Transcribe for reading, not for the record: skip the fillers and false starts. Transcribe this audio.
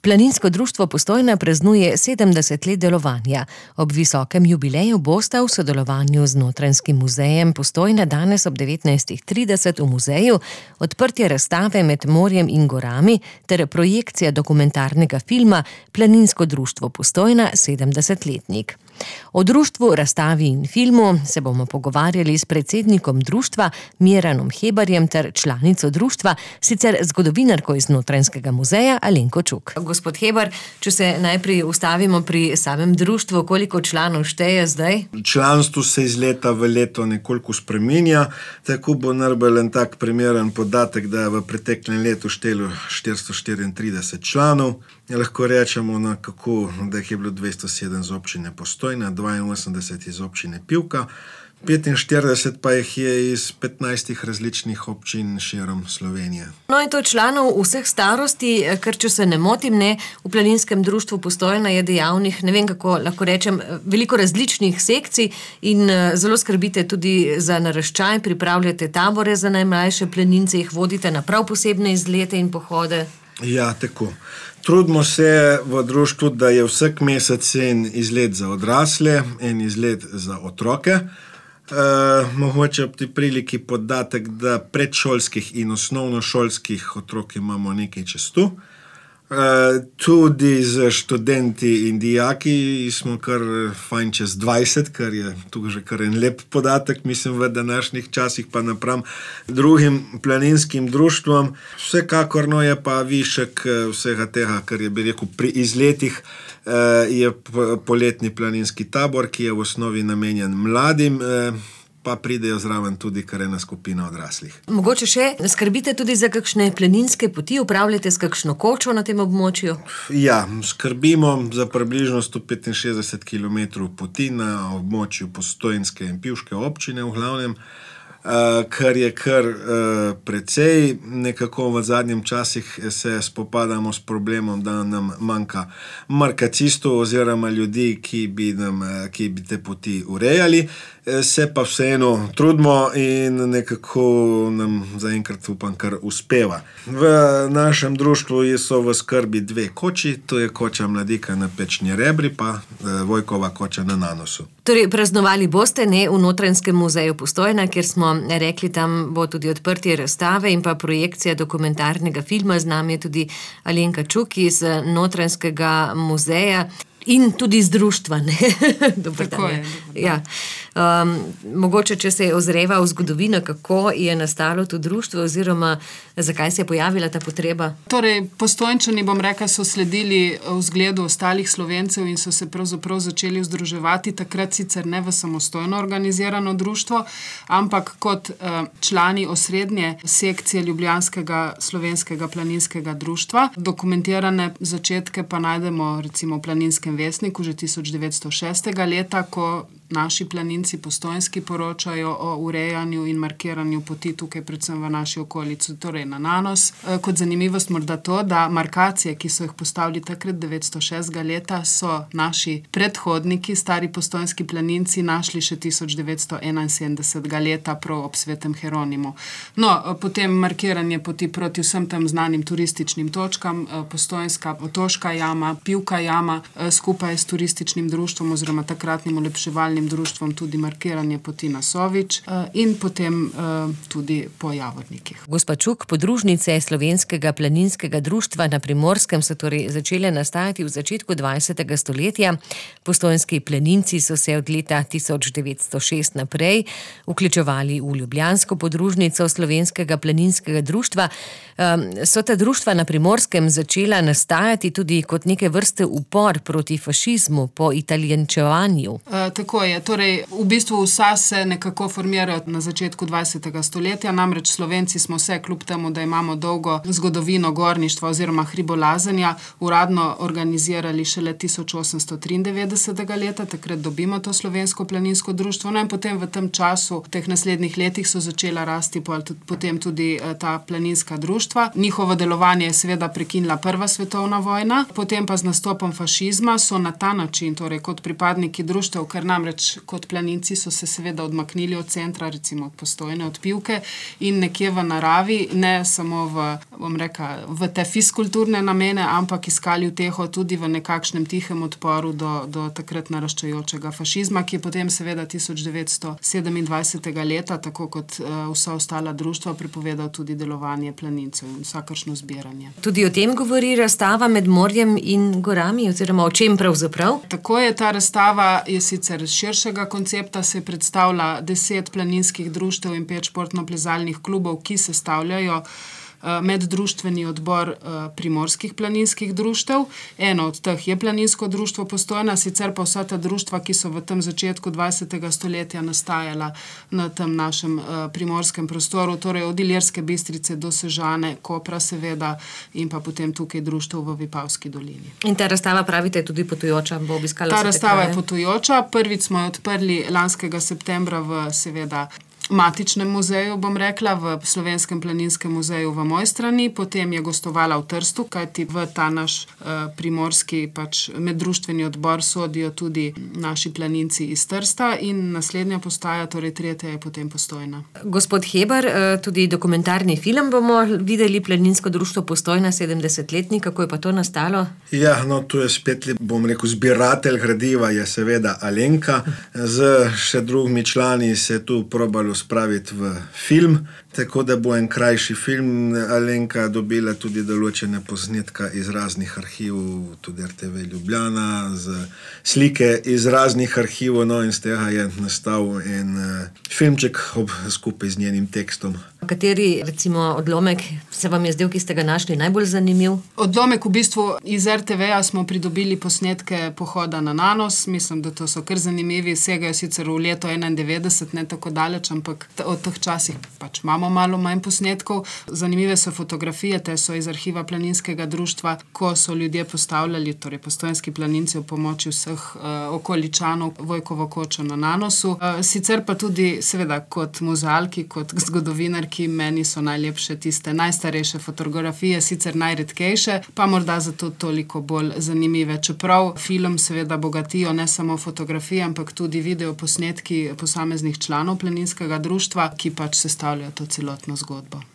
Planinsko društvo Postojna praznuje 70 let delovanja. Ob visokem jubileju bosta v sodelovanju z Notranjskim muzejem Postojna danes ob 19:30 v muzeju odprtje razstave Med morjem in gorami ter projekcija dokumentarnega filma Planinsko društvo Postojna 70-letnik. O društvu, razstavi in filmu se bomo pogovarjali s predsednikom društva Miranom Hebarjem ter članico društva, sicer zgodovinarko iz Notranjskega muzeja Alenko Čuk. Gospod Hebar, če se najprej ustavimo pri samem društvu, koliko članov šteje zdaj? Članstvo se iz leta v leto nekoliko spreminja, tako bo najbolj en tak primeren podatek, da je v preteklem letu štelo 434 članov. Lahko rečemo, da jih je bilo 207 z občine Postojna, 82 iz občine Pivka, 45 pa jih je iz 15 različnih občin širom Slovenije. No in to članov vseh starosti, ker če se ne motim, v Planinskem društvu Postojna je dejavnih, ne vem kako lahko rečem, veliko različnih sekcij in zelo skrbite tudi za naraščaj, pripravljate tabore za najmlajše planince, jih vodite na prav posebne izlete in pohode. Ja, tako. Trudimo se v društvu, da je vsak mesec en izlet za odrasle, en izlet za otroke. Mogoče ob tej priliki podatek, da predšolskih in osnovnošolskih otrok imamo nekaj čez tu. Tudi z študenti in dijaki smo kar fajn čez 20, kar je tukaj že kar en lep podatek, mislim, v današnjih časih pa napram drugim planinskim društvom. Vsekakor je pa višek vsega tega, kar je, bi rekel, pri izletih, je poletni planinski tabor, ki je v osnovi namenjen mladim, pa pridejo zraven tudi kar ena skupina odraslih. Mogoče še skrbite tudi za kakšne planinske poti, upravljate s kakšno kočo na tem območju? Ja, skrbimo za približno 165 km poti na območju Postojnske in Pivške občine v glavnem, kar je kar precej. Nekako v zadnjem časih se spopadamo s problemom, da nam manjka markacistov oziroma ljudi, ki bi te poti urejali. Se pa vseeno trudimo in nekako nam zaenkrat upam kar uspeva. V našem društvu so v skrbi 2 koči, to je koča Mladika na Pečni Rebri, pa Vojkova koča na Nanosu. Torej, praznovali boste v Notranjskem muzeju Postojna, kjer smo rekli, tam bo tudi odprtje razstave in pa projekcija dokumentarnega filma. Z nami je tudi Alenka Čuk iz Notranjskega muzeja. In tudi z društva, ne? Dobar dan. Tako je. Ja. Mogoče, če se ozreva v zgodovino, kako je nastalo to društvo oziroma zakaj se je pojavila ta potreba? Torej, Postojnčani, bom rekla, so sledili vzgledu ostalih Slovencev in so se pravzaprav začeli združevati, takrat sicer ne v samostojno organizirano društvo, ampak kot člani osrednje sekcije Ljubljanskega slovenskega planinskega društva. Dokumentirane začetke pa najdemo recimo v Planinskem vestniku že 1906. leta, ko naši planinci postojnski poročajo o urejanju in markiranju poti tukaj, predvsem v naši okolici, torej na Nanos. Kot zanimivost morda to, da markacije, ki so jih postavili takrat 906. leta, so naši predhodniki, stari postojnski planinci, našli še 1971. leta prav ob Svetem Heronimu. No, potem markiranje poti proti vsem tem znanim turističnim točkam, Postojnska otoška jama, Pivka jama, skupaj s turističnim društvom oziroma takratnim olepševalnim društvom tudi markiranje poti na Sovič in potem tudi po Javornikih. Gospa Čuk, podružnice Slovenskega planinskega društva na Primorskem so torej začele nastajati v začetku 20. stoletja. Postojnski planinci so se od leta 1906 naprej vključevali v ljubljansko podružnico Slovenskega planinskega društva. So ta društva na Primorskem začela nastajati tudi kot neke vrste upor proti fašizmu, po italijančevanju? Tako je. Torej, v bistvu vsa se nekako formirajo na začetku 20. stoletja, namreč Slovenci smo se, kljub temu, da imamo dolgo zgodovino gorništva oziroma hribolazenja, uradno organizirali šele 1893. leta, takrat dobimo to Slovensko planinsko društvo. No in potem v tem času, v teh naslednjih letih so začela rasti potem tudi ta planinska društva. Njihovo delovanje je seveda prekinila Prva svetovna vojna, potem pa z nastopom fašizma so na ta način, torej kot pripadniki društev, ker namreč namreč kot planinci so se seveda odmaknili od centra, recimo od Postojne, od Pivke in nekje v naravi, ne samo v te fiskulturne namene, ampak iskali uteho tudi v nekakšnem tihem odporu do takrat naraščajočega fašizma, ki je potem seveda 1927. leta, tako kot vsa ostala društva, prepovedal tudi delovanje planincev in vsakršno zbiranje. Tudi o tem govori razstava Med morjem in gorami, oziroma o čem pravzaprav? Tako je, ta razstava je sicer širšega koncepta, se predstavlja 10 planinskih društev in 5 športno-plezalnih klubov, ki sestavljajo meddruštveni odbor primorskih planinskih društev. Eno od teh je Planinsko društvo Postojna, sicer pa vsa ta društva, ki so v tem začetku 20. stoletja nastajala na tem našem primorskem prostoru, torej od Ilirske Bistrice do Sežane, Kopra seveda in pa potem tukaj društev v Vipavski dolini. In ta razstava, pravite, je tudi potujoča, bo obiskala ta razstava je potujoča. Prvič smo jo odprli lanskega septembra v seveda matičnem muzeju, bom rekla, v Slovenskem planinskem muzeju v Mojstrani, potem je gostovala v Trstu, kajti v ta naš primorski meddruštveni odbor sodijo tudi naši planinci iz Trsta in naslednja postaja, torej tretja, je potem Postojna. Gospod Hebar, tudi dokumentarni film bomo videli, Planinsko društvo Postojna 70-letnik, kako je pa to nastalo? Ja, tu je spet, bom rekel, zbiratelj gradiva je seveda Alenka, z še drugimi člani se tu probalo spraviti v film, tako da bo en krajši film. Alenka dobila tudi določene posnetka iz raznih arhivov, tudi RTV Ljubljana, z slike iz raznih arhivov, in z tega je nastal en filmček skupaj z njenim tekstom. Kateri, recimo, odlomek se vam je zdel, ki ste ga našli, najbolj zanimiv? Odlomek v bistvu iz RTV-ja smo pridobili posnetke pohoda na Nanos. Mislim, da to so kar zanimivi. Segajo sicer v leto 91, ne tako daleč, ampak od teh časih imamo malo manj posnetkov. Zanimive so fotografije, te so iz arhiva Planinskega društva, ko so ljudje postavljali, torej postojnski planinci, v pomoči vseh okoličanov Vojkovo kočo na Nanosu. Sicer pa tudi, seveda, kot muzealki, kot zgodovinarki, meni so najlepše tiste najstarejše fotografije, sicer najredkejše, pa morda zato toliko bolj zanimive. Čeprav film seveda bogatijo ne samo fotografije, ampak tudi videoposnetki posameznih članov Planinskega društva, ki sestavljajo to celotno zgodbo.